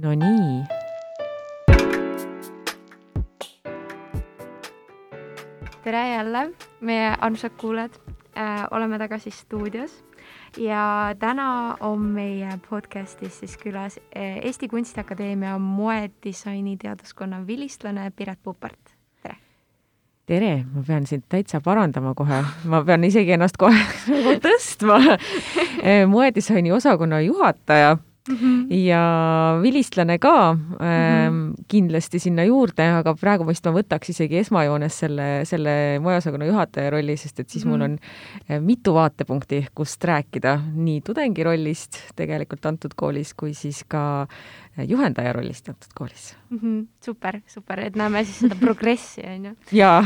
No nii. Tere jälle, meie armsad kuulajad. Oleme tagasi stuudios ja täna on meie podcastis siis külas Eesti Kunstiakadeemia moedisaini teaduskonna vilistlane Piret Puppart. Tere! Tere! Ma pean sind täitsa parandama kohe. Ma pean isegi ennast kohe tõstma. Moedisaini osakonna juhataja ja vilistlane ka kindlasti sinna juurde, aga praegu vist ma võtaks isegi esmajoones selle moeosakonna juhataja rolli, sest et siis mul on mitu vaatepunkti, kust rääkida nii tudengi rollist tegelikult antud koolis, kui siis ka juhendaja rollist antud koolis. Super, et näeme siis seda progressi, on ju? Jaa.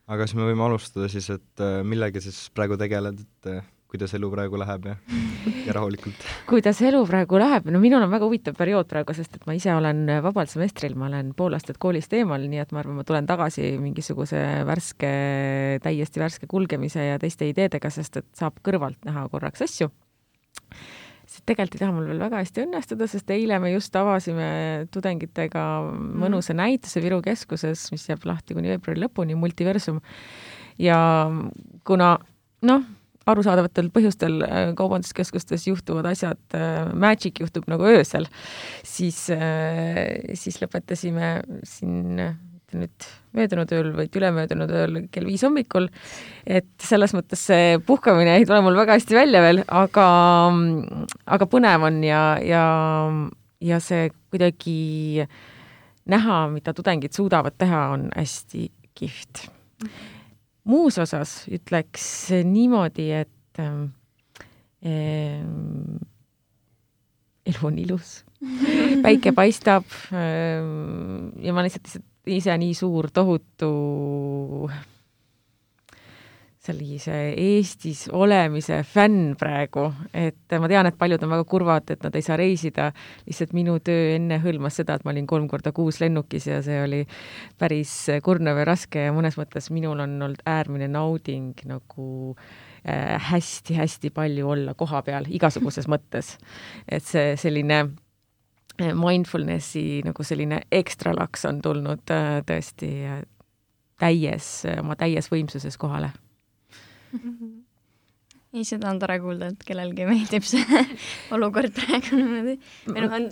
Aga siis me võime alustada siis, et millega siis praegu tegeled, et kuidas elu praegu läheb ja rahulikult? Kuidas elu praegu läheb? No minul on väga huvitav periood praegu, sest et ma ise olen vabal semestril, ma olen pool aastat koolist eemal, nii et ma arvan, ma tulen tagasi mingisuguse täiesti värske kulgemise ja teiste ideedega, sest et saab kõrvalt näha korraks asju. Tegelikult ei taha mul veel väga hästi õnnestuda, sest eile me just avasime tudengitega mõnusa näituse Viru keskuses, mis jääb lahti kuni veebruari lõpuni, Multiversum. Ja kuna, arusaadavatel põhjustel kaubanduskeskustes juhtuvad asjad, magic juhtub nagu öösel, siis lõpetasime siin nüüd möödunud ööl või ülemöödunud ööl kell 5 hommikul, et selles mõttes see puhkamine ei tule mul väga hästi välja veel, aga põnev on ja see kuidagi näha, mida tudengid suudavad teha, on hästi kihvt. Muus osas ütleks niimoodi, et elu on ilus. Päike paistab ja ma lihtsalt ise nii suur tohutu sellise Eestis olemise fänn praegu, et ma tean, et paljud on väga kurvad, et nad ei saa reisida. Lihtsalt minu töö enne hõlmas seda, et ma olin 3 korda kuus lennukis ja see oli päris kurnav ja raske ja mõnes mõttes minul on olnud äärmine nauding nagu hästi-hästi palju olla koha peal igasuguses mõttes. Et see selline mindfulnessi nagu selline ekstra laks on tulnud tõesti oma täies võimsuses kohale. Ei, seda on tore kuulda, et kellelgi meeldib see olukord praegu niimoodi.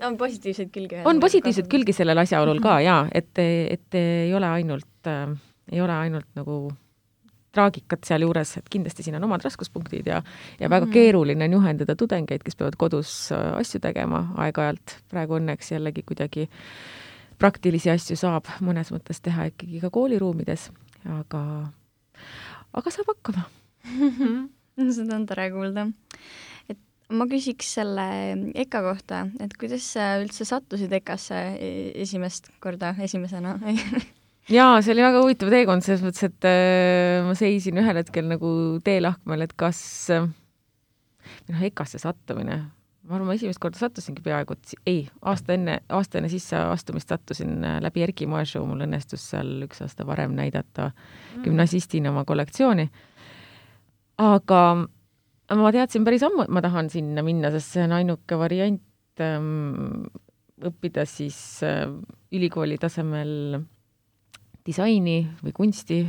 On positiivseid külgi. On positiivseid külgi sellel asjaolul ka, jaa, et ei ole ainult nagu traagikat seal juures, et kindlasti siin on omad raskuspunktid ja väga keeruline on juhendada tudengeid, kes peavad kodus asju tegema aeg-ajalt. Praegu õnneks jällegi kuidagi praktilisi asju saab mõnes mõttes teha ikkagi ka kooliruumides, aga saab hakkama. Seda on tore kuulda. Et ma küsiks selle EKA kohta, et kuidas sa üldse sattusid EKAsse esimesena? Jaa, see oli väga huvitav teekond, selles mõttes, et ma seisin ühel hetkel nagu teelahkmel, et kas EKAsse sattumine. Ma arvan, ma esimest korda sattusingi peaaegu, aasta enne sisse astumist sattusin läbi Erki moeshow, mul õnnestus seal 1 aasta varem näidata gümnasistina oma kollektsiooni. Aga ma teadsin päris ammu, et ma tahan sinna minna, sest see on ainuke variant õppida siis ülikooli tasemel disaini või kunsti,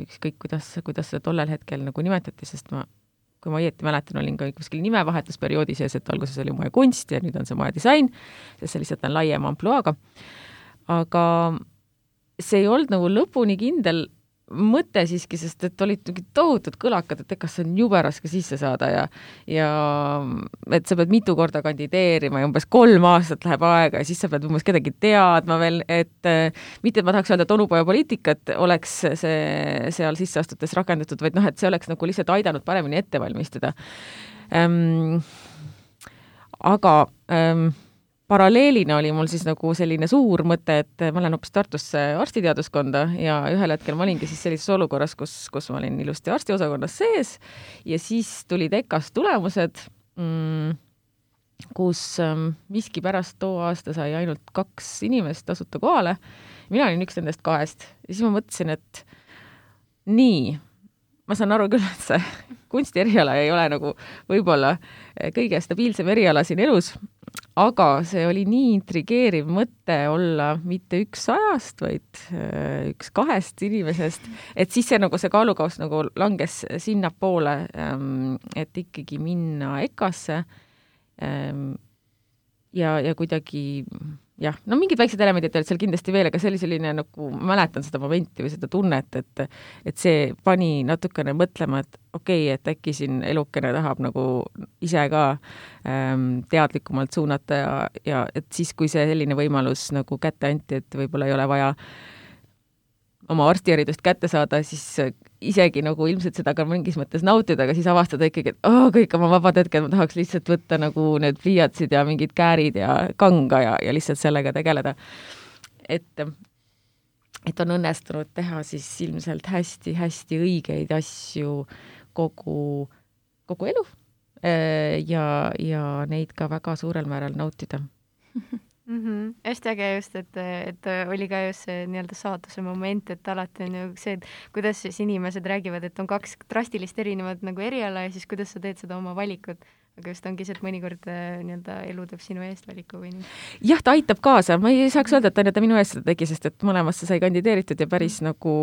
ükskõik kuidas seda tollel hetkel nagu nimetati, sest kui ma õieti mäletan, olin ka kuskil nimevahetusperioodi sees, et alguses oli moe kunst ja nüüd on see moe disain, sest see lihtsalt on laiem ampluaaga. Aga see ei olnud nagu lõpuni kindel mõte siiski, sest et olid tohutud kõlakad, et kas on jube raske sisse saada ja et sa pead mitu korda kandideerima ja umbes 3 aastat läheb aega ja siis sa pead umbes kedagi teadma veel, et mitte, et ma tahaks öelda, et onupojapoliitikat oleks see seal sisse astutes rakendatud, vaid et see oleks nagu lihtsalt aidanud paremini ette valmistada. Aga paralleelina oli mul siis nagu selline suur mõte, et ma lähen hoopis Tartusse arstiteaduskonda ja ühel hetkel ma olingi siis sellises olukorras, kus ma olin ilusti arstiosakonnas sees ja siis tulid EKAs tulemused, kus miski pärast too aasta sai ainult 2 inimest tasuta kohale. Mina olin üks nendest 2 ja siis ma mõtlesin, et nii, ma saan aru küll, et see kunstieriala ei ole nagu võib-olla kõige stabiilsem eriala siin elus, aga see oli nii intrigeeriv mõte olla mitte üks 100, vaid üks 2 inimesest, et siis see nagu see kaalukauss nagu langes sinnapoole, et ikkagi minna EKA-sse ja kuidagi jah, no mingid väiksed elemendid olid seal kindlasti veel, aga see oli selline nagu, mäletan seda momenti või seda tunnet, et see pani natukene mõtlema, et okei, et äkki siin elukene tahab nagu ise ka teadlikumalt suunata ja et siis, kui see selline võimalus nagu kätte anti, et võib-olla ei ole vaja oma arstiharidust kätte saada, siis isegi nagu ilmselt seda ka mingis mõttes nautida, aga siis avastada ikkagi, et kõik oma vabad hetked ma tahaks lihtsalt võtta nagu need pliiatsid ja mingid käärid ja kanga ja lihtsalt sellega tegeleda. Et on õnnestunud teha siis ilmselt hästi õigeid asju kogu elu ja neid ka väga suurel määral nautida. Hästi äge just, et oli ka just see nii-öelda saatuse moment, et alati on ju see, et kuidas siis inimesed räägivad, et on 2 drastilist erinevat nagu eriala ja siis kuidas sa teed seda oma valikut. Aga just ongi see, et mõnikord nii-öelda elu teeb sinu eest valiku või nii. Jah, ta aitab kaasa. Ma ei saaks öelda, et ta minu eest seda tegi, sest et mõlemasse sai kandideeritud ja päris nagu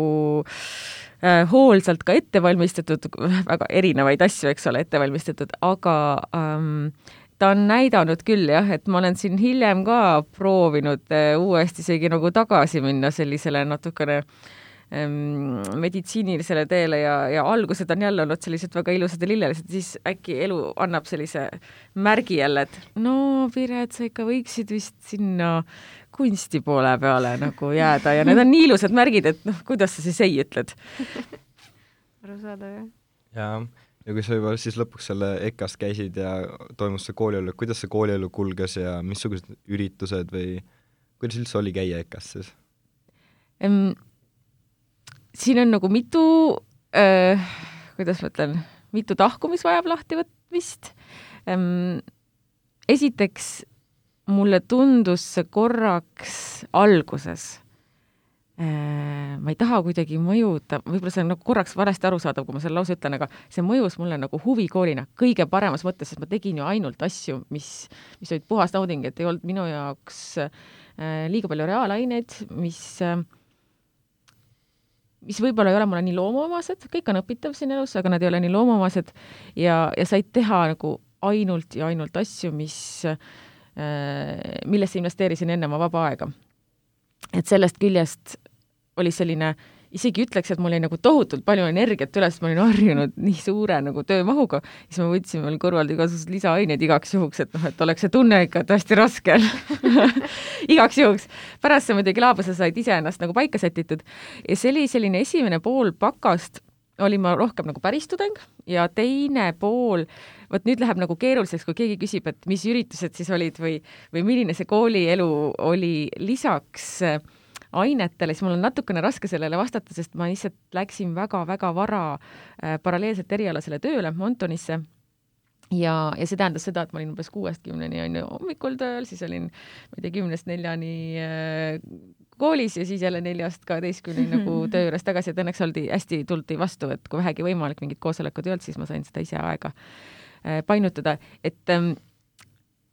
hoolsalt ka ette valmistatud, väga erinevaid asju, eks ole, ette valmistatud, aga ta on näidanud küll jah, et ma olen siin hiljem ka proovinud uuesti isegi nagu tagasi minna sellisele natukene meditsiinilisele teele ja algused on jälle olnud sellised väga ilusad ja lillelised, siis äkki elu annab sellise märgi jälle, et no Piret, sa ikka võiksid vist sinna kunsti poole peale nagu jääda ja need on nii ilusad märgid, et kuidas sa siis ei ütled? Aru saada, jah? Jaa. Ja kui sa juba siis lõpuks selle EKA-st käisid ja toimus see koolielu, kuidas see koolielu kulges ja missugused üritused või kuidas üldse oli käia EKA-s siis? Siin on nagu mitu, kuidas ma ütlen, mitu tahku, mis vajab lahtivõtmist. Esiteks mulle tundus see korraks alguses, ma ei taha kuidagi mõjuda, võib-olla see on nagu korraks varasti arusaadav, kui ma selle lause ütlen, aga see mõjus mulle nagu huvikoolina kõige paremas mõttes, sest ma tegin ju ainult asju, mis olid puhas nauding, et ei olnud minu jaoks liiga palju reaalaineid, mis võib-olla ei ole mulle nii loomuomased, kõik on õpitav siin elus, aga nad ei ole nii loomuomased ja said teha nagu ainult ja ainult asju, millesse investeerisin enne oma vaba aega. Et sellest küljest oli selline, isegi ütleks, et mul oli nagu tohutult palju energiat üles, ma olin harjunud nii suure nagu töömahuga, siis ma võtsin veel kõrvalt igasugused lisaaineid igaks juhuks, et oleks see tunne ikka hästi raske igaks juhuks. Pärast see muidugi laabuse said ise ennast nagu paika sätitud ja see oli selline esimene pool pakast, oli ma rohkem nagu päris tudeng ja teine pool, vot nüüd läheb nagu keeruliseks, kui keegi küsib, et mis üritused siis olid või milline see koolielu oli lisaks ainetele, siis mul on natukene raske sellele vastata, sest ma lihtsalt läksin väga-väga vara paralleelselt erialasele tööle Montonisse ja see tähendas seda, et ma olin umbes 6-10 hommikul tööl, siis olin 10-4 koolis ja siis jälle 4-12 nagu töö juures tagasi, et õnneks hästi tuldi vastu, et kui vähegi võimalik mingid koosolekud ei olnud, siis ma sain seda ise aega painutada, et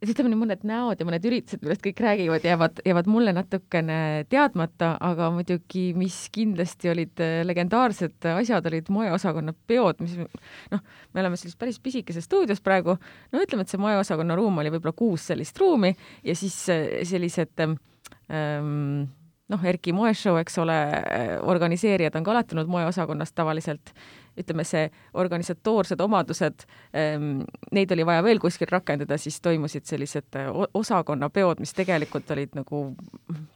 ütleme nii mõned näod ja mõned üritused, millest kõik räägivad, jäävad mulle natukene teadmata, aga muidugi, mis kindlasti olid legendaarsed asjad, olid moeosakonna peod, mis me oleme sellis päris pisikeses stuudios praegu, ütleme, et see moeosakonna ruum oli võib-olla 6 sellist ruumi ja siis sellised Erki moeshow, eks ole, organiseerijad on ka alati olnud moeosakonnas tavaliselt, ütleme see organisatoorsed omadused, neid oli vaja veel kuskil rakendada, siis toimusid sellised osakonnapeod, mis tegelikult olid nagu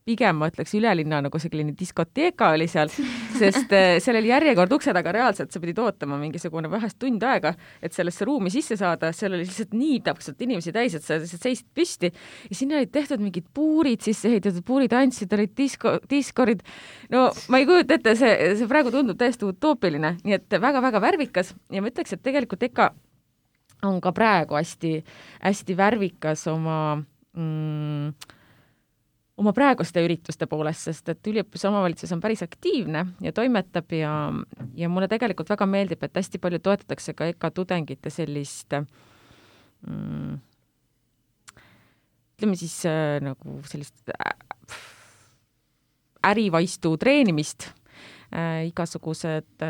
pigem, ma ütleks, ülelinna nagu selline diskoteeka oli seal, sest seal oli järjekord ukse taga reaalselt, sa pidid ootama mingisugune vahest tund aega, et sellesse ruumi sisse saada, seal oli lihtsalt nii täpselt inimesi täis, et sa seisid püsti ja sinna olid tehtud mingid puurid sisse ehitatud, puurid andsid, olid diskorid, no ma ei kujuta ette, see praegu tundub täiesti utoopiline, nii et väga-väga värvikas ja ma ütleks, et tegelikult EKA on ka praegu hästi värvikas oma praeguste ürituste poolest, sest et üliõpilase omavalitsus on päris aktiivne ja toimetab ja mulle tegelikult väga meeldib, et hästi palju toetatakse ka EKA tudengite sellist ütleme siis nagu sellist ärivaistu treenimist, igasugused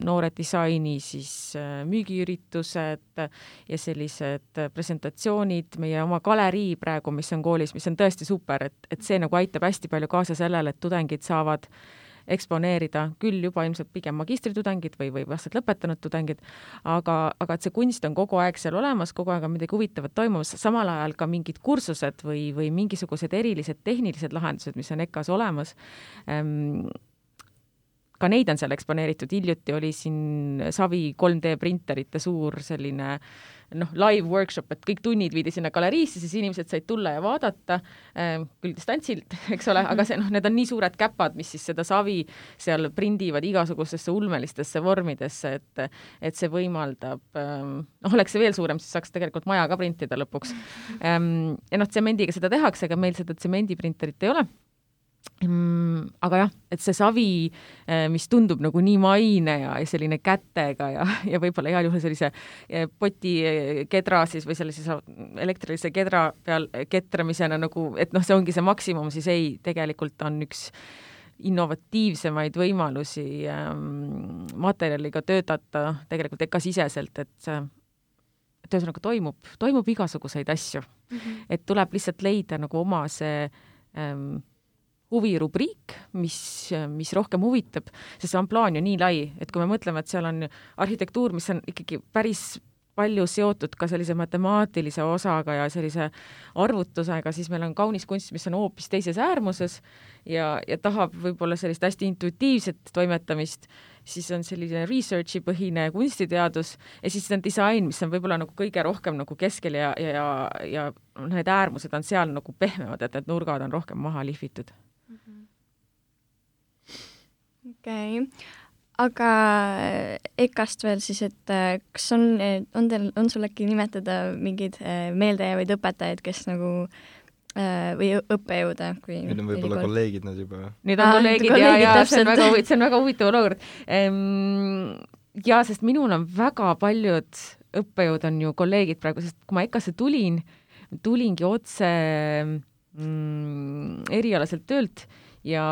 noore disaini siis müügiüritused ja sellised presentatsioonid, meie oma galerii praegu, mis on koolis, mis on tõesti super, et see nagu aitab hästi palju kaasa sellele, et tudengid saavad eksponeerida, küll juba ilmselt pigem magistritudengid või vastad lõpetanud tudengid, aga et see kunst on kogu aeg seal olemas, kogu aeg on midagi huvitavat toimumas, samal ajal ka mingid kursused või mingisugused erilised tehnilised lahendused, mis on EKA-s olemas. Ka neid on seal eksponeeritud, hiljuti oli siin Savi 3D printerite suur selline live workshop, et kõik tunnid viidi sinna galeriisse, siis inimesed said tulla ja vaadata, küll distantsilt, eks ole, aga need on nii suured käpad, mis siis seda Savi seal prindivad igasugustesse ulmelistesse vormidesse, et see võimaldab, oleks see veel suurem, siis saaks tegelikult maja ka printida lõpuks. Ja tsemendiga seda tehakse, aga meil seda tsemendiprinterit ei ole. Aga jah, et see savi, mis tundub nagu nii maine ja selline kätega ja võib-olla heal juhul sellise poti kedra siis või sellise elektrilise kedra peal ketramisena nagu, et see ongi see maksimum, siis ei, tegelikult on üks innovatiivsemaid võimalusi materjaliga töötada tegelikult EKA-siseselt, et ühesõnaga toimub igasuguseid asju. Et tuleb lihtsalt leida nagu oma see huvirubriik, mis rohkem huvitab, sest see on plaan ju nii lai, et kui me mõtleme, et seal on arhitektuur, mis on ikkagi päris palju seotud ka sellise matemaatilise osaga ja sellise arvutusega, siis meil on kaunis kunst, mis on hoopis teises äärmuses ja tahab võib-olla sellist hästi intuitiivset toimetamist, siis on selline researchi põhine kunstiteadus ja siis on disain, mis on võib-olla nagu kõige rohkem nagu keskel ja need äärmused on seal nagu pehmemad, et need nurgad on rohkem maha lihvitud. Okei. Aga EKA-st veel siis, et kas on sul äkki nimetada mingeid meeldejäävaid õpetajaid, kes nagu või õppejõude? Nüüd on võib-olla kolleegid nad juba. Nüüd on kolleegid ja see on väga huvitav olukord. Ja, sest minul on väga paljud õppejõud on ju kolleegid praegu, sest kui ma EKA-sse tulingi otse erialaselt töölt ja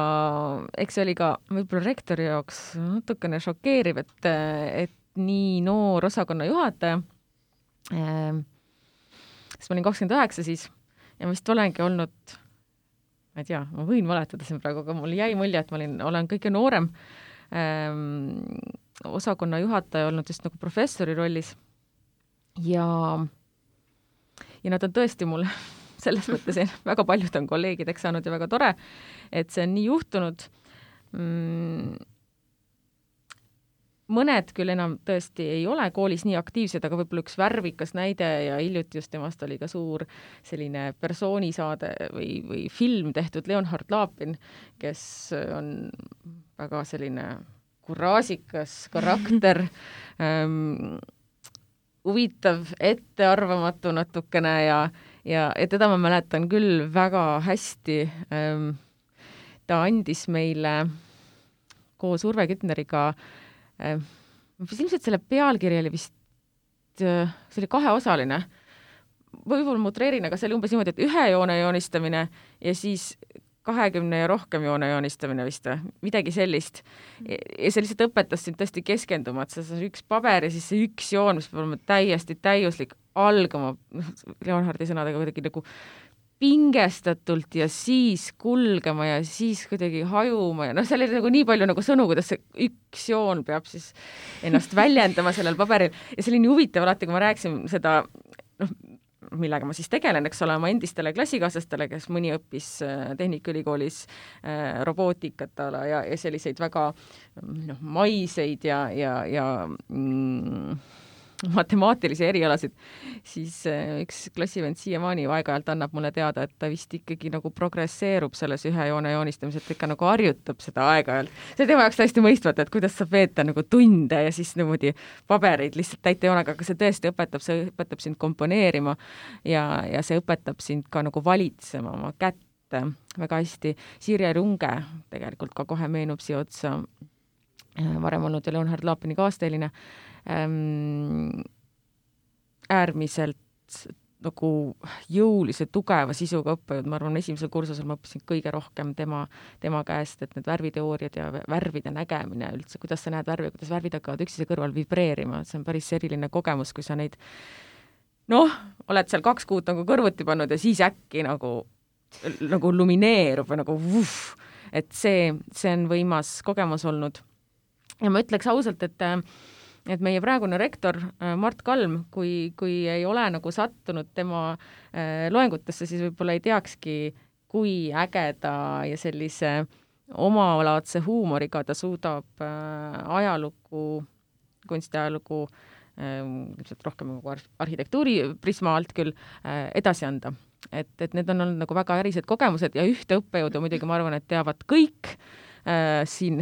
eks see oli ka võib-olla rektori jaoks natukene šokeeriv, et nii noor osakonna juhataja, sest ma olin 29 siis ja vist olengi olnud, ma ei tea, ma võin valetada siin praegu, aga mul jäi mulje, et ma olen kõige noorem osakonna juhataja olnud just nagu professori rollis ja nad on tõesti mulle selles mõttes väga paljud on kolleegideks saanud ja väga tore, et see on nii juhtunud. Mõned küll enam tõesti ei ole koolis nii aktiivsed, aga võib-olla üks värvikas näide ja hiljuti just temast oli ka suur selline persoonisaade või film tehtud Leonhard Lapin, kes on väga selline kuraažikas karakter, huvitav, ettearvamatu natukene ja teda ma mäletan küll väga hästi. Ta andis meile koos Urve Kütneriga, ilmselt selle pealkiri oli vist, see oli 2-osaline, võib-olla mutreerin, aga see oli umbes niimoodi, et 1 joone joonistamine ja siis 20 ja rohkem joone joonistamine vist või midagi sellist. Ja see lihtsalt õpetas sind tõesti keskenduma, et see üks paber ja siis see üks joon, mis peab olema täiesti täiuslik, algama Leonhardi sõnadega kuidagi nagu pingestatult ja siis kulgema ja siis kuidagi hajuma ja seal oli nagu nii palju nagu sõnu, kuidas see üks joon peab siis ennast väljendama sellel paberil ja see oli nii huvitav alati, kui ma rääkisin seda, millega ma siis tegelen, eks ole, oma endistele klassikaaslastele, kes mõni õppis Tehnikaülikoolis robootikat ja selliseid väga maiseid ja matemaatilisi erialasid, siis üks klassivend siiamaani aeg-ajalt annab mulle teada, et ta vist ikkagi nagu progresseerub selles 1 joone joonistamiselt, ikka nagu harjutab seda aeg-ajalt. See tema jaoks täiesti mõistvat, et kuidas saab veeta nagu tunde ja siis niimoodi pabereid lihtsalt täita joonega, aga see tõesti õpetab sind komponeerima ja see õpetab sind ka nagu valitsema oma kätte väga hästi. Sirje Runge tegelikult ka kohe meenub siia otsa, varem olnud ja Leonhard Lapini kaasteeline, äärmiselt nagu jõulise, tugeva sisuga õppejõud, ma arvan, esimesel kursusel ma õppisin kõige rohkem tema käest, et need värviteooriad ja värvide nägemine üldse, kuidas sa näed värvi, kuidas värvid hakkavad üksteise kõrval vibreerima, see on päris eriline kogemus, kui sa neid oled seal 2 kuud nagu kõrvuti pannud ja siis äkki nagu lumineerub või nagu et see on võimas kogemus olnud. Ja ma ütleks ausalt, et meie praegune rektor Mart Kalm, kui ei ole nagu sattunud tema loengutesse, siis võib-olla ei teakski, kui ägeda ja sellise omalaadse huumoriga ta suudab ajalugu, kunstiajalugu, ilmselt rohkem nagu arhitektuuri prisma alt küll, edasi anda. Et need on olnud nagu väga ärised kogemused ja ühte õppejõudu muidugi ma arvan, et teavad kõik siin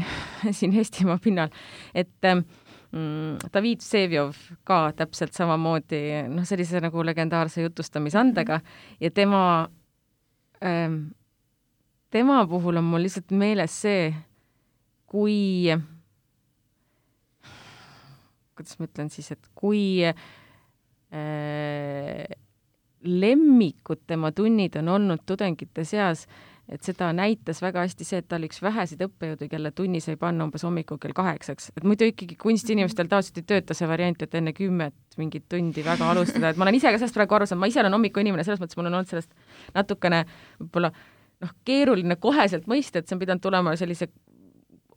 Eestimaa pinnal, et David Vseviov ka täpselt samamoodi, sellise nagu legendaarse jutustamisandega ja tema puhul on mul lihtsalt meeles see, kui, kuidas ma ütlen siis, et kui lemmikud tema tunnid on olnud tudengite seas, et seda näitas väga hästi see, et ta oli üks väheseid õppejõudu, kelle tunni sai panna umbes hommikul kell 8. Et muidu ikkagi kunstiinimestel tavaliselt ei tööta see variant, et enne 10 mingit tundi väga alustada. Et ma olen ise ka sellest praegu aru saanud, ma ise olen hommikuinimene, selles mõttes mul on olnud sellest natukene võib-olla keeruline koheselt mõista, et see on pidanud tulema sellise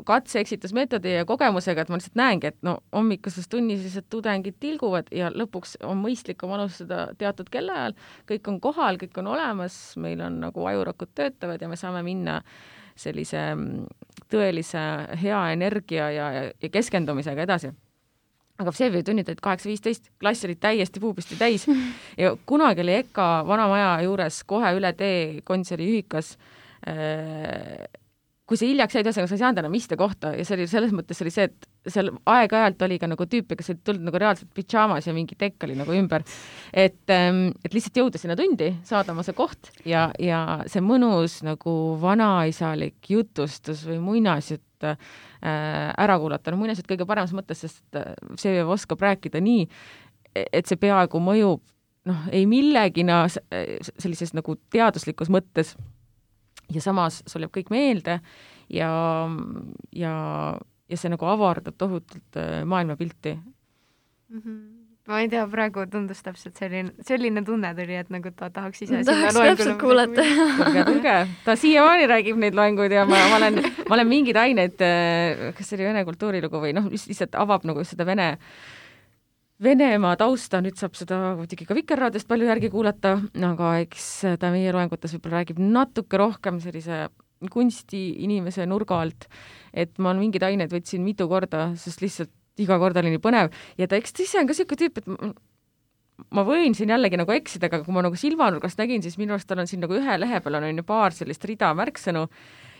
katse-eksitusmeetodi ja kogemusega, et ma lihtsalt näengi, et hommikuses tunnis lihtsalt tudengid tilguvad ja lõpuks on mõistlikum alustada teatud kellaajal, kõik on kohal, kõik on olemas, meil on nagu ajurakud töötavad ja me saame minna sellise tõelise hea energia ja keskendumisega edasi. Aga see tunnid olid 8:15, klass olid täiesti puupisti täis ja kunagi oli EKA vanamaja juures kohe üle tee kontseri ühikas kui see hiljaks jäid, ühesõnaga sa ei saanud enam iste kohta ja see oli selles mõttes oli see, et seal aeg-ajalt oli ka nagu tüüpe, kes olid tulnud nagu reaalselt pidžaamas ja mingi tekk oli nagu ümber. Et lihtsalt jõuda sinna tundi, saada oma see koht ja see mõnus nagu vanaisalik jutustus või muinasjutt ära kuulata. Muinasjutt kõige paremas mõttes, sest see oskab rääkida nii, et see peaaegu mõjub ei millegina sellises nagu teaduslikus mõttes ja samas sul jääb kõik meelde ja see nagu avardab tohutult maailmapilti. Ma ei tea, praegu tundus täpselt selline tunne tuli, et nagu ta tahaks ise tahaks täpselt kuulata. Tulge. Ta siiamaani räägib neid loenguid ja ma olen mingid ained, kas see oli vene kultuurilugu või lihtsalt avab nagu seda Venemaa tausta, nüüd saab seda muidugi ka Vikerraadiost palju järgi kuulata, aga eks ta meie loengutes võib-olla räägib natuke rohkem sellise kunstiinimese nurga alt, et ma mingid ained võtsin mitu korda, sest lihtsalt iga kord oli nii põnev ja ta eks ise on ka selline tüüp, et ma võin siin jällegi nagu eksida, aga kui ma nagu silmanurgast nägin, siis minu arust tal on siin nagu ühe lehe peal on paar sellist rida märksõnu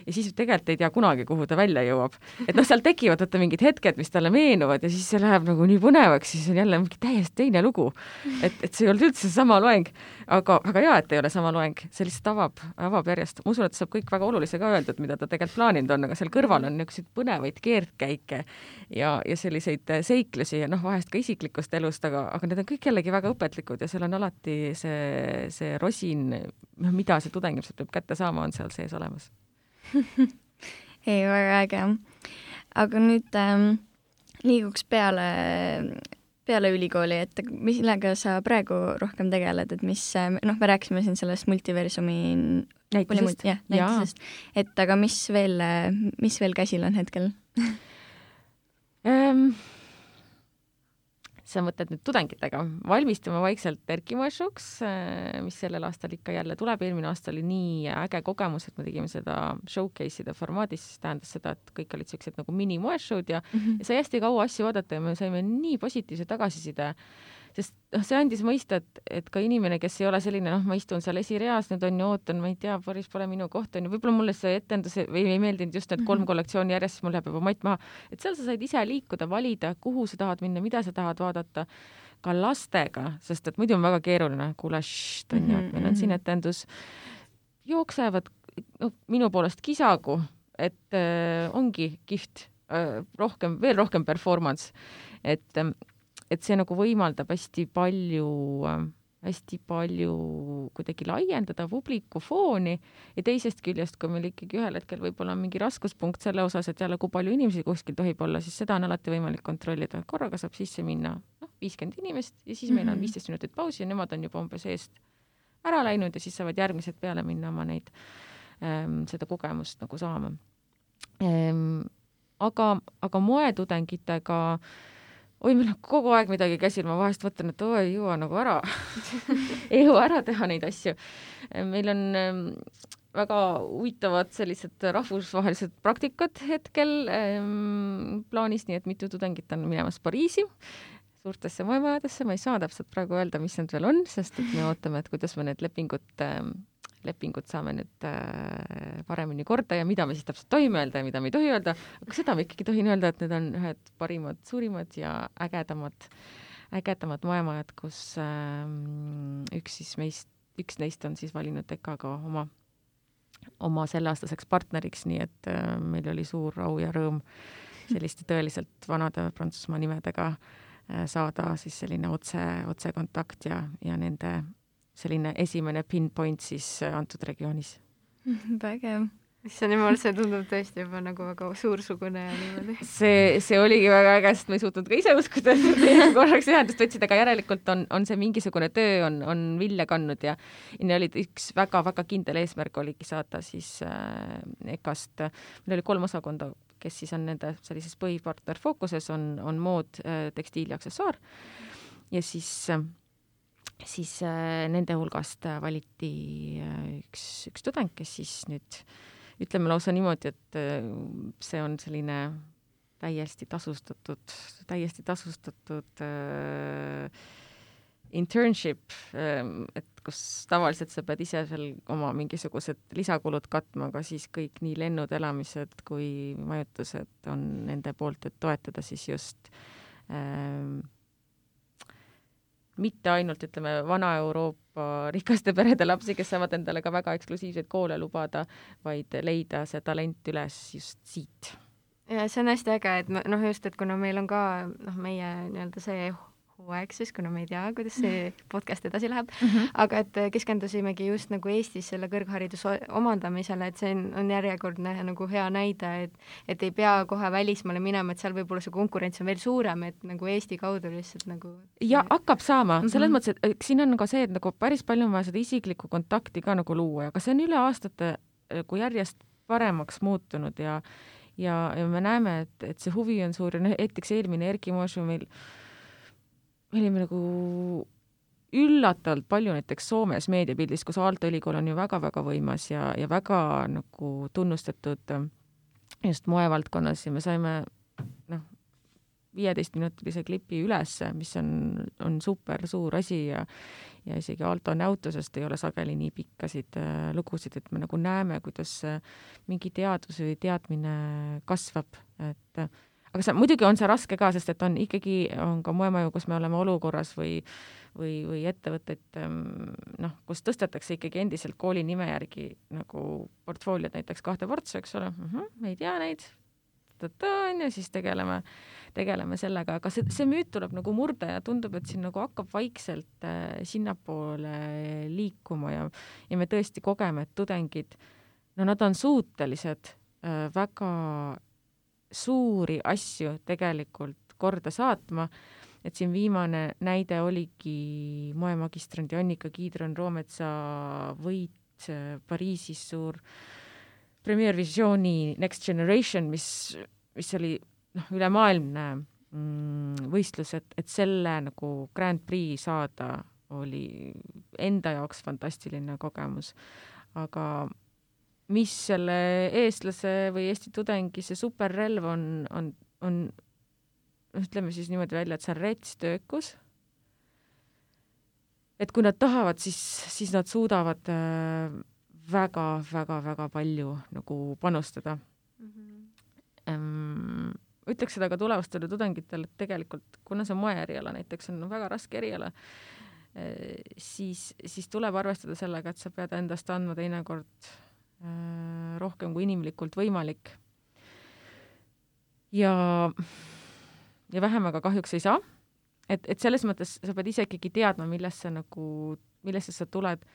ja siis tegelikult ei tea kunagi, kuhu ta välja jõuab. Et seal tekivad mingid hetked, mis talle meenuvad ja siis see läheb nagu nii põnevaks, siis on jälle mingi täiesti teine lugu. Et see ei olnud üldse sama loeng, aga väga hea, et ei ole sama loeng. See lihtsalt avab järjest. Ma usun, et saab kõik väga olulise ka öeldud, mida ta tegelikult plaaninud on, aga seal kõrval on niisuguseid põnevaid keerdkäike ja selliseid seiklusi ja vahest ka isiklikust elust, aga need on kõik jällegi väga õpetlikud ja seal on alati see rosin, mida see tudeng peab kätte saama, on seal sees olemas. Ei, väga äge. Aga nüüd liiguks peale ülikooli, et millega sa praegu rohkem tegeled, et mis, me rääkisime siin sellest multiversumi näitusest. Et aga mis veel käsil on hetkel? Sa mõtled nüüd tudengitega. Valmistume vaikselt Erki Moeshuks, mis sellel aastal ikka jälle tuleb. Eelmine aasta oli nii äge kogemus, et me tegime seda showcase'ide formaadis, siis tähendas seda, et kõik olid sellised nagu mini-moeshow'd ja sai hästi kaua asju vaadata ja me saime nii positiivse tagasiside, sest see andis mõista, et ka inimene, kes ei ole selline, ma istun seal esireas, nüüd on ju ootan, ma ei tea, päris pole minu koht, on ju, võib-olla mulle see etendus või ei meeldinud just need 3 kollektsiooni järjest, siis mul läheb juba matt maha, et seal sa said ise liikuda, valida, kuhu sa tahad minna, mida sa tahad vaadata, ka lastega, sest et muidu on väga keeruline, kuule, on ju, et meil on siin etendus, jooksevad minu poolest kisagu, et ongi kihvt, veel rohkem performance, et see nagu võimaldab hästi palju hästi palju kuidagi laiendada publikufooni ja teisest küljest, kui meil ikkagi ühel hetkel võib-olla on mingi raskuspunkt selle osas, et jälle kui palju inimesi kuskil tohib olla, siis seda on alati võimalik kontrollida. Korraga saab sisse minna 50 inimest ja siis meil on 15 minutit pausi ja nemad on juba umbes eest ära läinud ja siis saavad järgmised peale minna oma neid seda kogemust nagu saama. Aga moetudengitega meil on kogu aeg midagi käsil, ma vahest võtan, et ei jõua nagu ära ei jõua ära teha neid asju. Meil on väga huvitavad sellised rahvusvahelised praktikad hetkel plaanis, nii et mitu tudengit on minemas Pariisi suurtesse moemajadesse, ma ei saa täpselt praegu öelda, mis need veel on, sest et me ootame, et kuidas me need lepingud saame nüüd paremini korda ja mida me siis täpselt tohime öelda ja mida me ei tohi öelda, aga seda ma ikkagi tohin öelda, et need on ühed parimad, suurimad ja ägedamad moemajad, kus üks neist on siis valinud EKA-ga oma selleaastaseks partneriks, nii et meil oli suur au ja rõõm selliste tõeliselt vanade Prantsusmaa nimedega saada siis selline otse kontakt ja nende selline esimene pinpoint siis antud regioonis. Vägev. See niimoodi, see tundub tõesti juba nagu väga suursugune ja niimoodi. See oligi väga äge, sest ma ei suutnud ka ise uskuda, et korraks ühendust võtsid, aga järelikult on see mingisugune töö on vilja kandnud ja oli üks väga-väga kindel eesmärk oligi saada siis EKA-st. Meil oli 3 osakonda, kes siis on nende sellises põhipartner fookuses, on mood, tekstiil ja aksessuaar ja siis nende hulgast valiti üks tudeng, kes siis nüüd ütleme lausa niimoodi, et see on selline täiesti tasustatud internship, et kus tavaliselt sa pead ise seal oma mingisugused lisakulud katma, aga siis kõik nii lennud, elamised kui majutused on nende poolt, et toetada siis just mitte ainult, ütleme, Vana-Euroopa rikaste perede lapsi, kes saavad endale ka väga eksklusiivseid koole lubada, vaid leida see talent üles just siit. Ja see on hästi äge, et just, et kuna meil on ka meie nii-öelda see hooaeg siis, kuna me ei tea, kuidas see podcast edasi läheb, aga et keskendusimegi just nagu Eestis selle kõrghariduse omandamisele, et see on järjekordne nagu hea näide, et ei pea kohe välismaale minema, et seal võib-olla see konkurents on veel suurem, et nagu Eesti kaudu lihtsalt nagu... Ja hakkab saama, selles mõttes, et siin on ka see, et nagu päris palju on vaja seda isiklikku kontakti ka nagu luua, aga see on üle aastate kui järjest paremaks muutunud ja me näeme, et see huvi on suur ja näiteks eelmine Erki Moeshow meil olime nagu üllatavalt palju näiteks Soomes meediapildis, kus Aalto ülikool on ju väga-väga võimas ja väga nagu tunnustatud just moevaldkonnas ja me saime 15-minutilise klipi üles, mis on super suur asi ja isegi Aalto näutusest ei ole sageli nii pikkasid lugusid, et me nagu näeme, kuidas mingi teadus või teadmine kasvab, aga muidugi on see raske ka, sest et on ka moemaju, kus me oleme olukorras või ettevõtteid, kus tõstetakse ikkagi endiselt kooli nime järgi nagu portfooliod näiteks 2 portsu, eks ole, me ei tea neid, ja siis tegeleme sellega, aga see müüt tuleb nagu murda ja tundub, et siin nagu hakkab vaikselt sinnapoole liikuma ja me tõesti kogeme, et tudengid, nad on suutelised väga suuri asju tegelikult korda saatma, et siin viimane näide oligi moemagistrandi Annika Kiidron-Roometsa võit Pariisis suur Premier Visioni Next Generation, mis oli ülemaailmne võistlus, et selle nagu Grand Prix saada oli enda jaoks fantastiline kogemus, aga mis selle eestlase või Eesti tudengi see superrelv on ütleme siis niimoodi välja, et see on retstöökus. Et kui nad tahavad, siis nad suudavad väga-väga-väga palju nagu panustada. Ütleks seda ka tulevastele tudengitele, et tegelikult, kuna see moeeriala näiteks on väga raske eriala, siis tuleb arvestada sellega, et sa pead endast andma teinekord rohkem kui inimlikult võimalik. Ja vähem aga kahjuks ei saa. et selles mõttes sa pead ise ikkagi teadma, millesse sa tuled.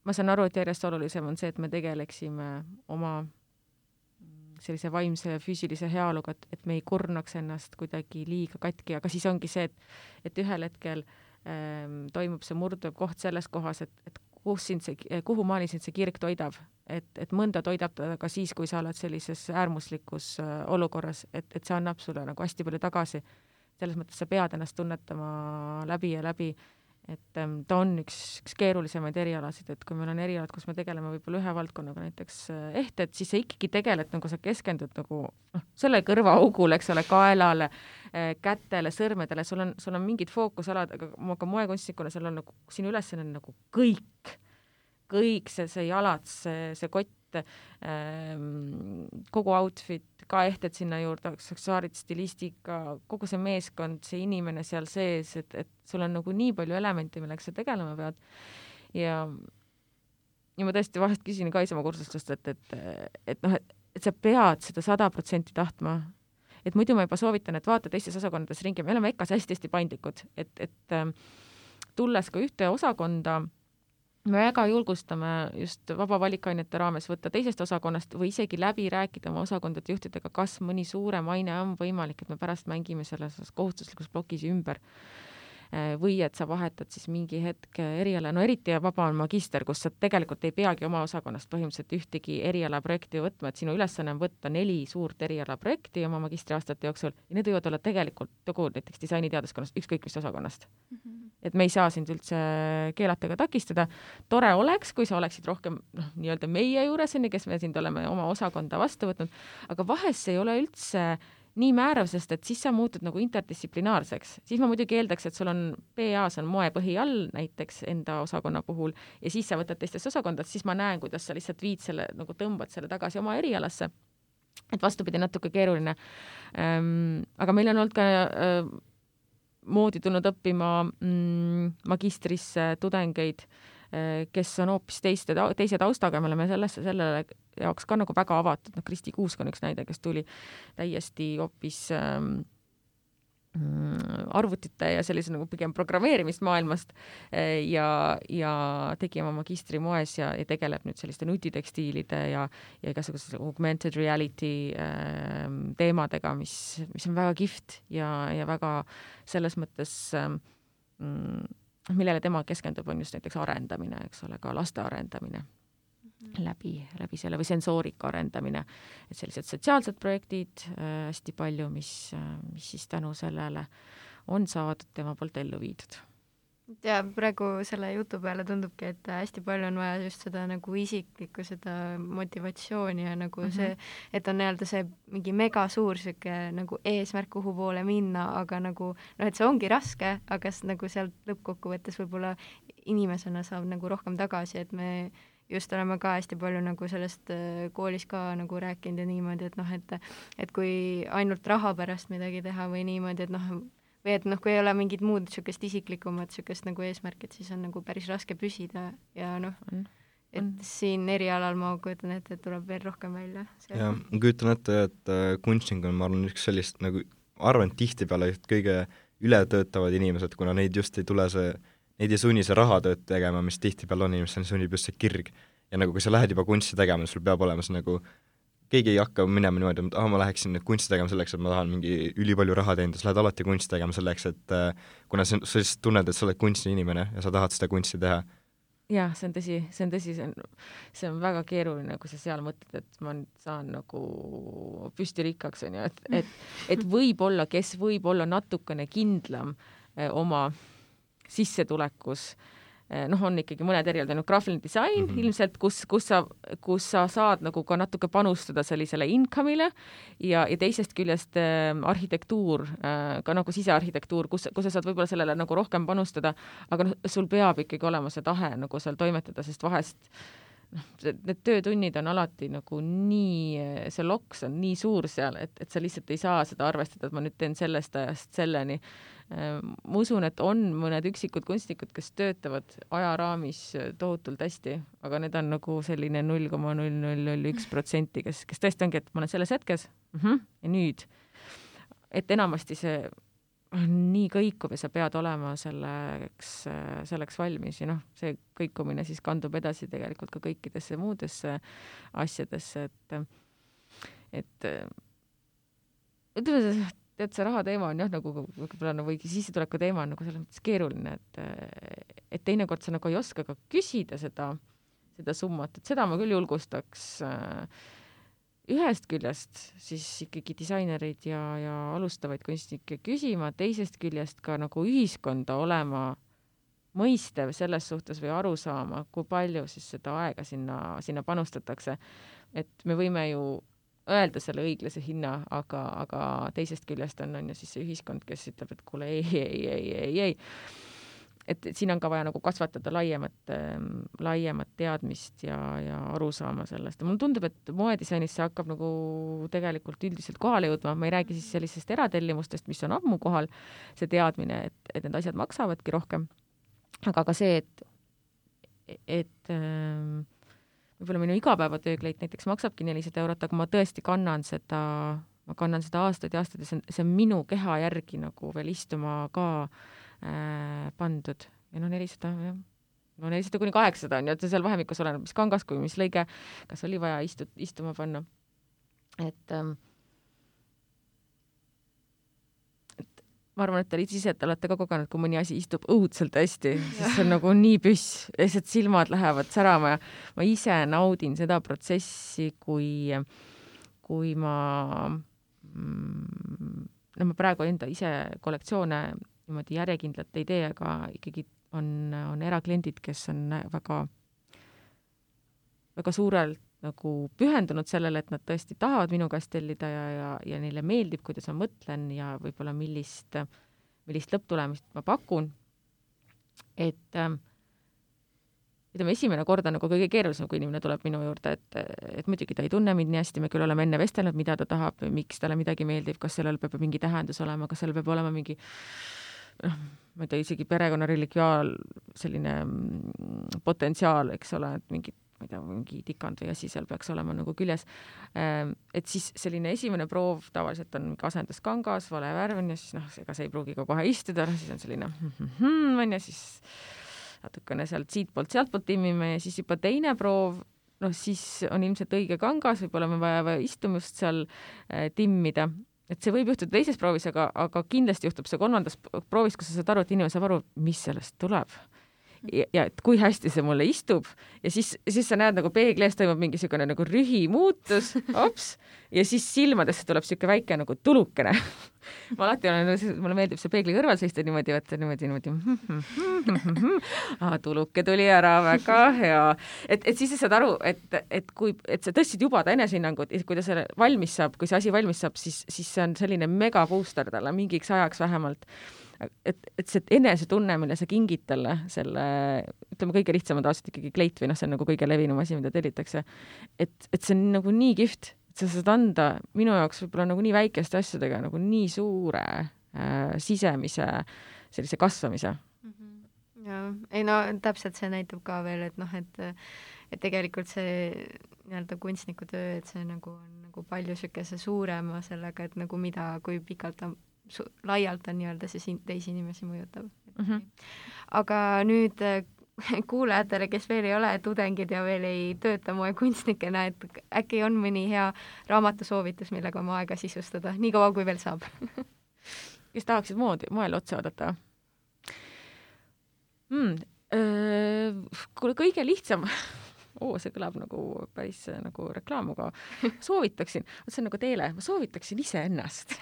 Ma saan aru, et järjest olulisem on see, et me tegeleksime oma sellise vaimse ja füüsilise heaoluga, et me ei kurnaks ennast kuidagi liiga katki, aga siis ongi see, et ühel hetkel toimub see murduv koht selles kohas, et kuhu maani sind see kirg toidab, et mõnda toidab ta ka siis, kui sa oled sellises äärmuslikus olukorras, et see annab sulle nagu hästi palju tagasi. Selles mõttes sa pead ennast tunnetama läbi ja läbi, et ta on üks keerulisemaid erialasid, et kui meil on erialad, kus me tegeleme võib-olla ühe valdkonnaga, näiteks ehted, siis sa ikkagi tegeled, nagu sa keskendud nagu selle kõrvaaugule, eks ole, kaelale, kätele, sõrmedele, sul on mingid fookusalad, aga moekunstnikuna sul on nagu, sinu ülesanne on nagu kõik see jalad, see kott, kogu outfit, ka ehted sinna juurde, aksessuaarid, stilistika, kogu see meeskond, see inimene seal sees, et sul on nagu nii palju elemente, millega sa tegelema pead. Ja ma tõesti vahest küsin ka oma kursustest, et sa pead seda 100% tahtma. Et muidu ma juba soovitan, et vaata teistes osakondades ringi. Me oleme EKA-s hästi paindlikud, et tulles ka ühte osakonda, me väga julgustame just vaba valikainete raames võtta teisest osakonnast või isegi läbi rääkida oma osakondade juhtidega, kas mõni suurem aine on võimalik, et me pärast mängime selles kohustuslikus blokis ümber. Või et sa vahetad siis mingi hetk eriala, no eriti vaba on magister, kus sa tegelikult ei peagi oma osakonnast põhimõtteliselt ühtegi erialaprojekti võtma, et sinu ülesanne on võtta 4 suurt erialaprojekti oma magistriaastate jooksul ja need võivad olla tegelikult näiteks disainiteaduskonnast, ükskõik mis osakonnast. Et me ei saa sind üldse keelata ega takistada. Tore oleks, kui sa oleksid rohkem nii-öelda meie juures, kes me sind oleme oma osakonda vastu võtnud, aga vahest see ei ole üldse nii määrav, sest et siis sa muutud nagu interdistsiplinaarseks. Siis ma muidugi eeldaks, et sul on PA-s on moepõhi all näiteks enda osakonna puhul ja siis sa võtad teistest osakondad, siis ma näen, kuidas sa lihtsalt viid selle, nagu tõmbad selle tagasi oma erialasse. Et vastupidi natuke keeruline. Aga meil on olnud ka moodi tulnud õppima magistrisse tudengeid, kes on hoopis teise taustaga, me oleme sellele jaoks ka nagu väga avatud. Kristi Kuusk on üks näide, kes tuli täiesti hoopis arvutite ja sellise nagu pigem programmeerimismaailmast ja tegi oma magistri moes ja tegeleb nüüd selliste nutitekstiilide ja igasuguse augmented reality teemadega, mis on väga kihvt ja väga selles mõttes millele tema keskendub, on just näiteks arendamine, eks ole, ka laste arendamine läbi selle või sensoorika arendamine, et sellised sotsiaalsed projektid hästi palju, mis siis tänu sellele on saadud tema poolt ellu viidud. Ja praegu selle jutu peale tundubki, et hästi palju on vaja just seda nagu isiklikku, seda motivatsiooni ja nagu see, et on nii-öelda see mingi mega suur siuke nagu eesmärk, kuhu poole minna, aga nagu, et see ongi raske, aga nagu sealt lõppkokkuvõttes võib-olla inimesena saab nagu rohkem tagasi, et me just oleme ka hästi palju nagu sellest koolis ka nagu rääkinud ja niimoodi, et et kui ainult raha pärast midagi teha või niimoodi, et või et kui ei ole mingid muud niisugust isiklikumat niisugust nagu eesmärkid, siis on nagu päris raske püsida ja et siin erialal ma kujutan ette, et tuleb veel rohkem välja. Ja ma kujutan ette, et kunstnik on, ma arvan, üks sellist nagu, arvan, tihtipeale kõige ületöötavad inimesed, kuna neid just ei tule neid ei sunni see rahatööd tegema, mis tihtipeale on inimesel, sunnib just see kirg. Ja nagu kui sa lähed juba kunsti tegema, sul peab olema see nagu keegi ei hakka minema niimoodi, et ma läheksin nüüd kunsti tegema selleks, et ma tahan mingi ülipalju raha teenida, sa lähed alati kunsti tegema selleks, et kuna sa lihtsalt tunned, et sa oled kunsti inimene ja sa tahad seda kunsti teha. Jah, see on tõsi, see on väga keeruline, kui sa seal mõtled, et ma saan nagu püsti rikkaks, on ju, et võib-olla, kes võib-olla natukene kindlam oma sissetulekus, on ikkagi mõned erialad, graafiline disain ilmselt, kus sa saad nagu ka natuke panustada sellisele income'ile ja teisest küljest arhitektuur, ka nagu sisearhitektuur, kus sa saad võib-olla sellele nagu rohkem panustada, aga sul peab ikkagi olema see tahe nagu seal toimetada, sest vahest need töötunnid on alati nagu nii, see loks on nii suur seal, et sa lihtsalt ei saa seda arvestada, et ma nüüd teen sellest ajast selleni. Ma usun, et on mõned üksikud kunstnikud, kes töötavad ajaraamis tohutult hästi, aga need on nagu selline 0,0001%, kes tõesti ongi, et ma olen selles hetkes ja nüüd. Et enamasti see nii kõikuv ja sa pead olema selleks valmis ja see kõikumine siis kandub edasi tegelikult ka kõikidesse muudesse asjadesse, et ütleme, et see raha teema on nagu võib-olla või sissetuleku teema on nagu selles mõttes keeruline, et teinekord sa nagu ei oska ka küsida seda summat, et seda ma küll julgustaks ühest küljest siis ikkagi disainereid ja alustavaid kunstnikke küsima, teisest küljest ka nagu ühiskonda olema mõistev selles suhtes või aru saama, kui palju siis seda aega sinna panustatakse. Et me võime ju öelda selle õiglase hinna, aga teisest küljest on ju siis see ühiskond, kes ütleb, et kuule ei. Et siin on ka vaja nagu kasvatada laiemat teadmist ja aru saama sellest. Mulle tundub, et moedisainis see hakkab nagu tegelikult üldiselt kohale jõudma. Ma ei räägi siis sellisest eratellimustest, mis on ammu kohal, see teadmine, et need asjad maksavadki rohkem. Aga ka see, et võib-olla minu igapäevatöökleit näiteks maksabki 400 €, aga ma tõesti kannan seda aastaid ja aastaid ja see on minu keha järgi nagu veel istuma ka pandud. Ja 400, jah. 400 kuni 800 on ju, et seal vahemikus oleneb, mis kangas kui mis lõige, kas oli vaja istuma panna. Et ma arvan, et te ise olete ka kogenud, kui mõni asi istub õudselt hästi, siis see on nagu nii püss, lihtsalt silmad lähevad särama ja ma ise naudin seda protsessi, kui ma praegu enda ise kollektsioone niimoodi järjekindlalt ei tee, aga ikkagi on erakliendid, kes on väga, väga suurelt nagu pühendunud sellele, et nad tõesti tahavad minu käest tellida ja neile meeldib, kuidas ma mõtlen ja võib-olla millist lõpptulemist ma pakun. Et ütleme, esimene kord on nagu kõige keerulisem, kui inimene tuleb minu juurde, et muidugi ta ei tunne mind nii hästi, me küll oleme enne vestelnud, mida ta tahab, miks talle midagi meeldib, kas sellel peab mingi tähendus olema, kas sellel peab olema mingi ma ei tea, isegi perekonna relikviaal selline potentsiaal, eks ole, et mingi tikand või asi seal peaks olema nagu küljes. Et siis selline esimene proov tavaliselt on asenduskangas, vale värv ja siis ega see ei pruugi ka kohe istuda, siis on selline ja siis natukene siitpoolt timmime ja siis juba teine proov, siis on ilmselt õige kangas, võib-olla me vaja istumust seal timmida. Et see võib juhtuda teises proovis, aga kindlasti juhtub see kolmandas proovis, kus sa saad aru, et inimene saab aru, mis sellest tuleb. Ja et kui hästi see mulle istub ja siis sa näed nagu peegli ees toimub mingisugune nagu rühi muutus, ja siis silmadesse tuleb siuke väike nagu tulukene. Ma alati mulle meeldib see peegli kõrval seista niimoodi, tuluke tuli ära, väga hea. Et siis sa saad aru, et sa tõstsid juba ta enesehinnangut, kui ta selle valmis saab, kui see asi valmis saab, siis see on selline mega booster talle mingiks ajaks vähemalt. Et see enesetunne, mille sa kingid talle selle, ütleme kõige lihtsam on tavaliselt ikkagi kleit või see on nagu kõige levinum asi, mida tellitakse. Et see on nagu nii kihvt, et sa saad anda minu jaoks võib-olla nagu nii väikeste asjadega nagu nii suure sisemise sellise kasvamise. Ja, ei täpselt see näitab ka veel, et tegelikult see nii-öelda kunstniku töö, et see nagu on nagu palju sükese suurema sellega, et nagu mida, kui pikalt ta laialt on nii-öelda see teisi inimesi mõjutab. Aga nüüd kuulajatele, kes veel ei ole tudengid ja veel ei tööta moekunstnikena, et äkki on mõni hea raamatusoovitus, millega oma aega sisustada, nii kaua kui veel saab. Kes tahaksid moele otsa oodata? Kõige lihtsam see kõlab nagu päris nagu reklaam, aga soovitaksin, see on nagu teele, ma soovitaksin ise ennast.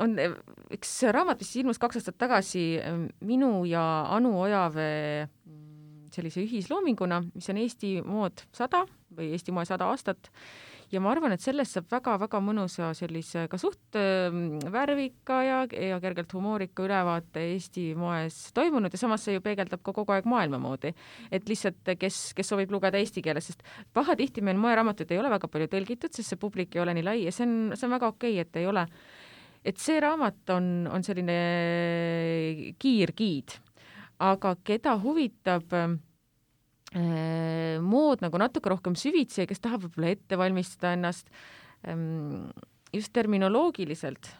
On üks raamat, mis ilmus 2 aastat tagasi minu ja Anu Ojavee sellise ühisloominguna, mis on Eesti mood 100 või Eesti moe 100 aastat. Ja ma arvan, et sellest saab väga-väga mõnusa sellise ka suht värvika ja kergelt humoorika ülevaate Eesti moes toimunud ja samas see ju peegeldab ka kogu aeg maailma moodi. Et lihtsalt, kes soovib lugeda eesti keeles, sest pahatihti meil moeraamatud ei ole väga palju tõlgitud, sest see publik ei ole nii lai ja see on väga okei, et ei ole. Et see raamat on selline kiirgiid, aga keda huvitab mood nagu natuke rohkem süvitsi ja kes tahab võib-olla ette valmistada ennast just terminoloogiliselt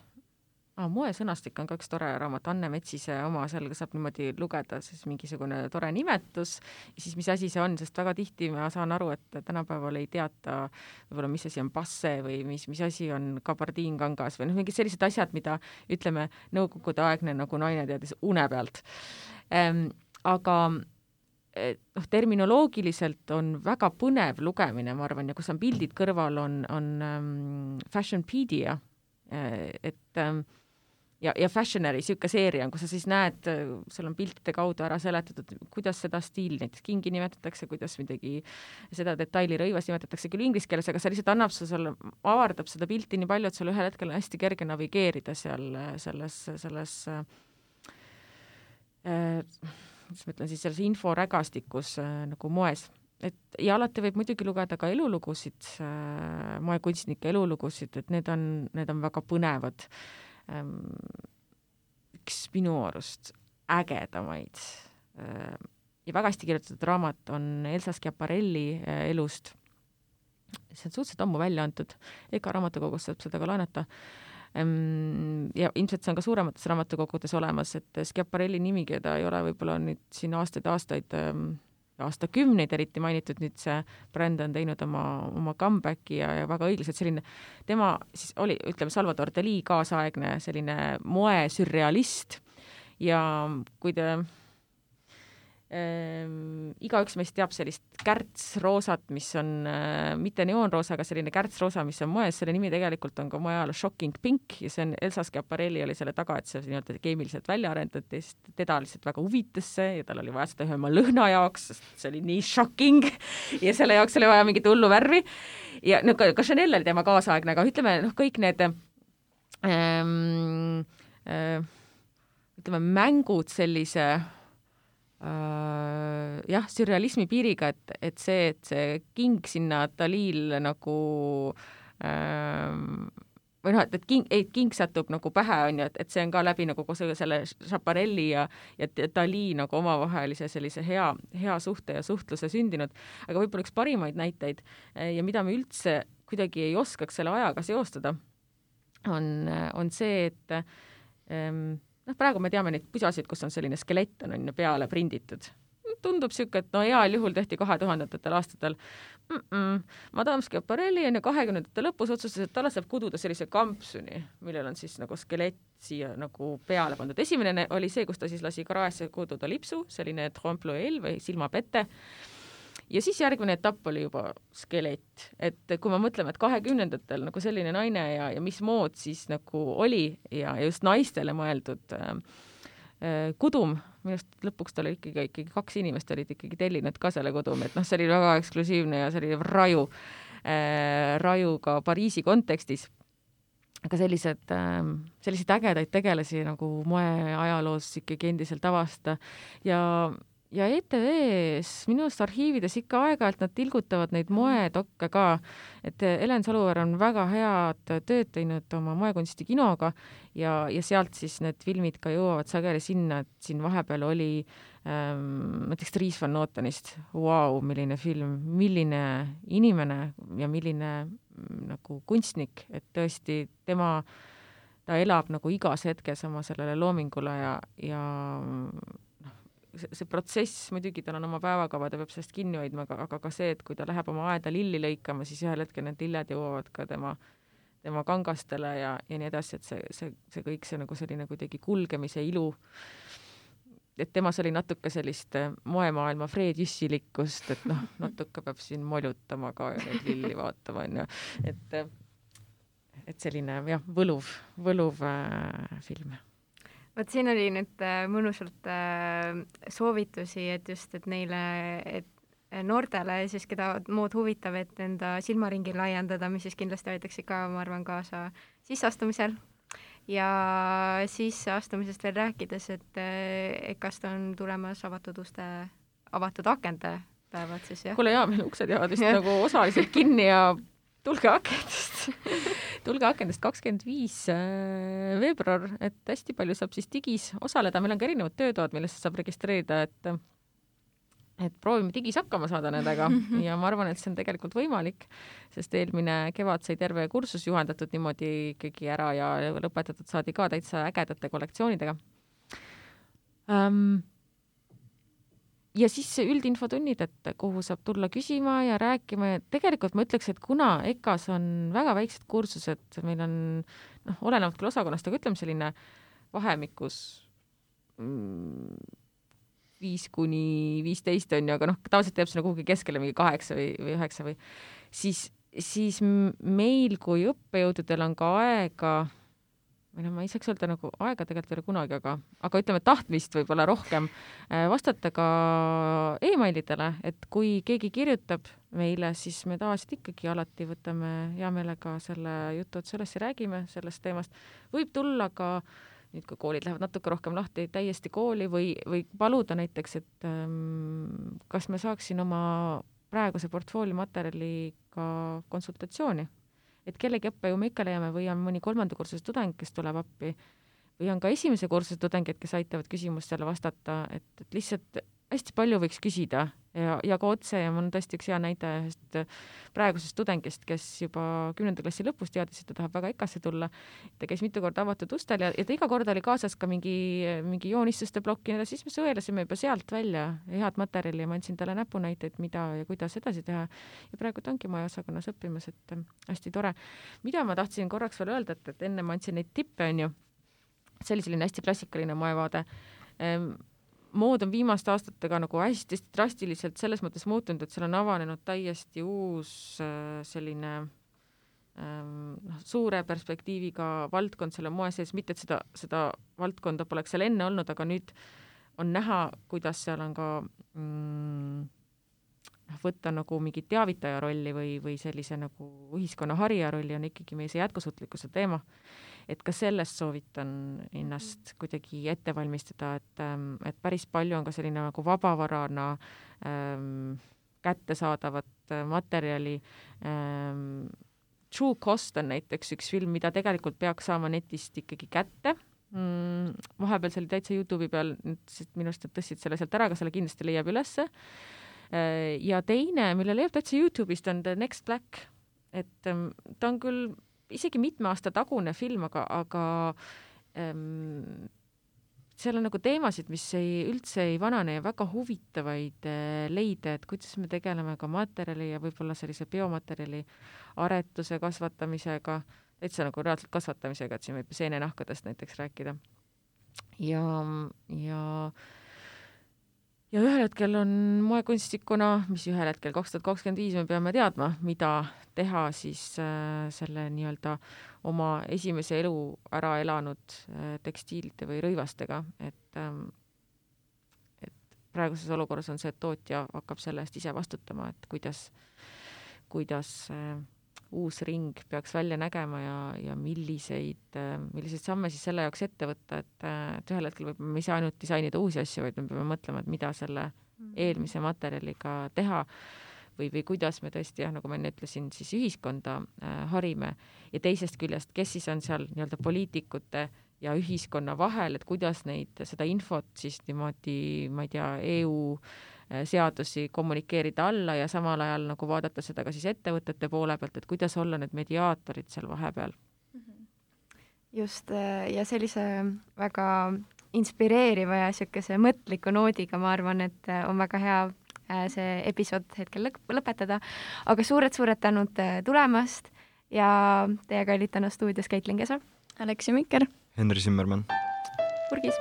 moesõnastik on ka üks tore raamat, Anne Metsise oma, seal saab niimoodi lugeda siis mingisugune tore nimetus ja siis mis asi see on, sest väga tihti ma saan aru, et tänapäeval ei teata võib-olla, mis asi on passe või mis asi on kabardiinkangas või mingid sellised asjad, mida ütleme, nõukogude aegne nagu naine teadis une pealt. Aga terminoloogiliselt on väga põnev lugemine, ma arvan, ja kus on pildid kõrval, on Fashionpedia, et ja Fashionary, siuke seeria on, kus sa siis näed, seal on piltide kaudu ära seletatud, kuidas seda stiili näiteks kingi nimetatakse, kuidas midagi seda detaili rõivas nimetatakse küll inglise keeles, aga see lihtsalt annab sulle, avardab seda pilti nii palju, et sul ühel hetkel on hästi kerge navigeerida seal selles mis ma ütlen siis, selles inforägastikus nagu moes. Ja alati võib muidugi lugeda ka elulugusid, moekunstnike elulugusid, et need on väga põnevad. Üks minu arust ägedamaid ja väga hästi kirjutatud raamat on Elsa Schiaparelli elust. See on suhteliselt ammu välja antud, Eka raamatukogus saab seda ka laenata. Ja ilmselt see on ka suuremates raamatukogudes olemas, et Schiaparelli nimi, keda ei ole võib-olla nüüd siin aastakümneid eriti mainitud, nüüd see bränd on teinud oma comebacki ja väga õiglaselt selline, tema siis oli, ütleme, Salvador Dalí kaasaegne selline moesürrealist ja kui te igaüks meist teab sellist kärtsroosat, mis on mitte neoonroosa, aga selline kärtsroosa, mis on moes, selle nimi tegelikult on ka moeajal Shocking Pink ja see on Elsa Schiaparelli oli selle taga, et see nii-öelda keemiliselt välja arendati, sest teda lihtsalt väga huvitas see ja tal oli vaja seda ühe oma lõhna jaoks, sest see oli nii shocking ja selle jaoks oli vaja mingit hullu värvi ja no, ka Chanel oli tema kaasaegne, aga ütleme, kõik need ütleme, mängud sellise sürrealismi piiriga, et see king sinna Dalil nagu või noh, et king satub nagu pähe, on ju, et see on ka läbi nagu selle Schiaparelli ja Dalí nagu omavahelise sellise hea suhte ja suhtluse sündinud, aga võib-olla üks parimaid näiteid ja mida me üldse kuidagi ei oskaks selle ajaga seostada, on see, et praegu me teame neid pusasid, kus on selline skelett on peale prinditud. Tundub siuke, et heal juhul tehti 2000ndatel aastatel. Madame Schiaparelli on 20. lõpus otsustas, et talle saab kududa sellise kampsuni, millel on siis nagu skelett siia nagu peale pandud. Esimene oli see, kus ta siis lasi kraesse kududa lipsu, selline trompe-l'œil või silmapette. Ja siis järgmine etapp oli juba skelett, et kui me mõtleme, et 20ndatel nagu selline naine ja mis mood siis nagu oli ja just naistele mõeldud kudum, minust lõpuks tal oli ikkagi 2 inimest olid ikkagi tellinud ka selle kudumi, et see oli väga eksklusiivne ja see oli raju ka Pariisi kontekstis. Aga sellised ägedaid tegelasi nagu moeajaloos ikkagi endiselt avasta ja ETV-s minu arust arhiivides ikka aeg-ajalt nad tilgutavad neid moedokke ka, et Helen Saluveer on väga head tööd teinud oma moekunsti kinoga ja sealt siis need filmid ka jõuavad sageli sinna, et siin vahepeal oli näiteks Dries Van Notenist, milline film, milline inimene ja milline nagu kunstnik, et tõesti ta elab nagu igas hetkes oma sellele loomingule ja see protsess, muidugi tal on oma päevakava, ta peab sellest kinni hoidma, aga ka see, et kui ta läheb oma aeda lilli lõikama, siis ühel hetkel need lilled jõuavad ka tema kangastele ja nii edasi, et see kõik see nagu selline kuidagi kulgemise ilu, et temas oli natuke sellist moemaailma Fred Jüssilikkust, et natuke peab siin moljutama ka ja neid lilli vaatama, on ju, et selline võluv film. Vot siin oli nüüd mõnusalt soovitusi, et just, et neile, et noortele siis, keda mood huvitab, et enda silmaringi laiendada, mis siis kindlasti aitaks ka, ma arvan, kaasa sisseastumisel. Ja sisseastumisest veel rääkides, et kas ta on tulemas avatud akende päevad siis, jah? Kuule, meil uksed jäävad vist nagu osaliselt kinni ja tulge akendest 25 veebruar, et hästi palju saab siis digis osaleda, meil on ka erinevad töötoad, millesse saab registreerida, et proovime digis hakkama saada nendega ja ma arvan, et see on tegelikult võimalik, sest eelmine kevad sai terve kursus juhendatud niimoodi ikkagi ära ja lõpetatud saadi ka täitsa ägedate kollektsioonidega. Ja siis üldinfotunnid, et kuhu saab tulla küsima ja rääkima ja tegelikult ma ütleks, et kuna EKAs on väga väiksed kursused, meil on olenevalt küll osakonnast, aga ütleme selline vahemikus 5-15 on ju, aga tavaliselt teeb sinna kuhugi keskele mingi 8 või 9 või siis meil kui õppejõududel on ka aega, või ma ei saaks öelda nagu aega tegelikult ei ole kunagi, aga ütleme tahtmist võib-olla rohkem vastata ka e-mailidele, et kui keegi kirjutab meile, siis me tavaliselt ikkagi alati võtame hea meelega selle jutu otsa üles ja räägime sellest teemast. Võib tulla ka nüüd, kui koolid lähevad natuke rohkem lahti, täiesti kooli või paluda näiteks, et kas me saaksin oma praeguse portfoolio materjaliga konsultatsiooni. Et kellegi õppejõu me ikka leiame või on mõni 3. kursuse tudeng, kes tuleb appi või on ka 1. kursuse tudengid, kes aitavad küsimustele vastata, et lihtsalt hästi palju võiks küsida ja ka otse ja mul on tõesti üks hea näide ühest praegusest tudengist, kes juba 10. klassi lõpus teadis, et ta tahab väga EKAsse tulla. Ta käis mitu korda avatud ustel ja ta iga kord oli kaasas ka mingi joonistuste plokki, siis me sõelasime juba sealt välja head materjali ja ma andsin talle näpunäiteid, mida ja kuidas edasi teha. Ja praegu ta ongi maja osakonnas õppimas, et hästi tore. Mida ma tahtsin korraks veel öelda, et enne ma andsin neid tippe, on ju, see oli selline hästi klassikaline moevaade. Mood on viimaste aastatega nagu hästi drastiliselt selles mõttes muutunud, et seal on avanenud täiesti uus selline suure perspektiiviga valdkond selle moe sees, mitte et seda valdkonda poleks seal enne olnud, aga nüüd on näha, kuidas seal on ka võtta nagu mingi teavitaja rolli või sellise nagu ühiskonna harija rolli on ikkagi meie see jätkusuutlikkuse teema. Et ka sellest soovitan ennast kuidagi ette valmistada, et päris palju on ka selline nagu vabavarana kättesaadavat materjali. True Cost on näiteks üks film, mida tegelikult peaks saama netist ikkagi kätte. Vahepeal see oli täitsa YouTube'i peal, minu arust tõstsid selle sealt ära, aga selle kindlasti leiab ülesse. Ja teine, mille leiab täitsa YouTube'ist, on The Next Black. Et ta on küll isegi mitme aasta tagune film, aga seal on nagu teemasid, mis üldse ei vanane ja väga huvitavaid leide, et kuidas me tegeleme ka materjali ja võib-olla sellise biomaterjali aretuse kasvatamisega, täitsa nagu reaalselt kasvatamisega, et siin võib seenenahkadest näiteks rääkida. Ja ühel hetkel on moekunstikuna, mis ühel hetkel 2025 me peame teadma, mida teha siis selle nii-öelda oma esimese elu ära elanud tekstiilide või rõivastega, et praeguses olukorras on see, et tootja hakkab selle eest ise vastutama, et kuidas uus ring peaks välja nägema ja milliseid samme siis selle jaoks ette võtta, et ühel hetkel võib me ei saa ainult disainida uusi asju, vaid me peame mõtlema, et mida selle eelmise materjaliga teha või kuidas me tõesti, nagu ma enne ütlesin, siis ühiskonda harime ja teisest küljest, kes siis on seal nii-öelda poliitikute ja ühiskonna vahel, et kuidas seda infot siis niimoodi, ma ei tea, EU seadusi kommunikeerida alla ja samal ajal nagu vaadata seda ka siis ettevõtete poole pealt, et kuidas olla need mediaatorid seal vahepeal. Just, ja sellise väga inspireeriva ja niisuguse mõtliku noodiga ma arvan, et on väga hea see episood hetkel lõpetada, aga suured tänud tulemast ja teiega olid täna stuudios Caitlin Kesa, Aleksi Mikker, Henri Zimmermann, Urgis.